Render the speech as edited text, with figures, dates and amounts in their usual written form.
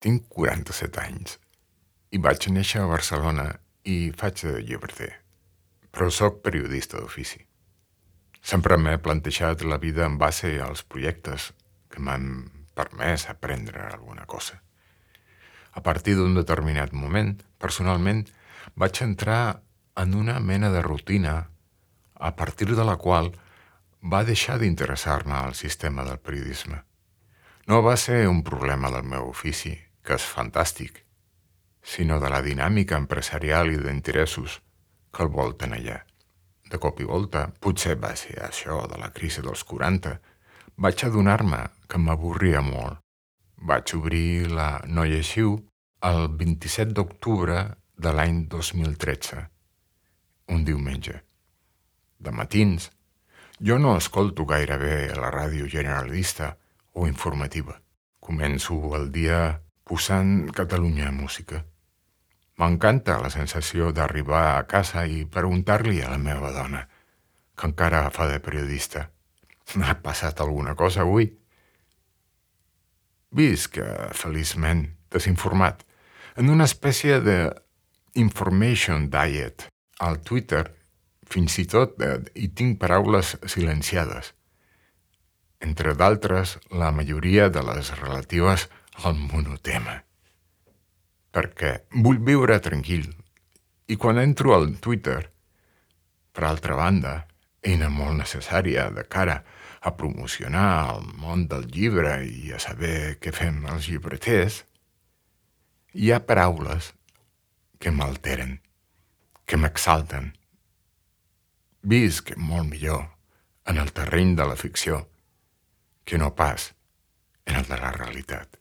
Tinc 47 anys i vaig néixer a Barcelona i faig de llibreter, però sóc periodista d'ofici. Sempre m'he plantejat la vida en base als projectes que m'han permès aprendre alguna cosa. A partir d'un determinat moment, personalment, vaig entrar en una mena de rutina a partir de la qual va deixar d'interessar-me el sistema del periodisme. No va ser un problema del meu ofici, que és fantàstic, sinó de la dinàmica empresarial i d'interessos que el volten allà. De cop i volta, potser va ser això de la crisi dels 40, vaig adonar-me que m'avorria molt. Vaig obrir la No Lleixiu el 27 d'octubre de l'any 2013, un diumenge. De matins, jo no escolto gaire bé la ràdio generalista o informativa. Començo el dia posant Catalunya Música. M'encanta la sensació d'arribar a casa i preguntar-li a la meva dona, que encara fa de periodista, «M'ha passat alguna cosa avui?» Visc, feliçment, desinformat, en una espècie de information diet. Al Twitter, fins i tot, hi tinc paraules silenciades. Entre d'altres, la majoria de les relatives al monotema. Perquè vull viure tranquil. I quan entro al Twitter, per altra banda, eina molt necessària de cara a promocionar el món del llibre i a saber què fem els llibreters, hi ha paraules que m'alteren, que m'exalten. Visc molt millor en el terreny de la ficció que no pas en el de la realitat.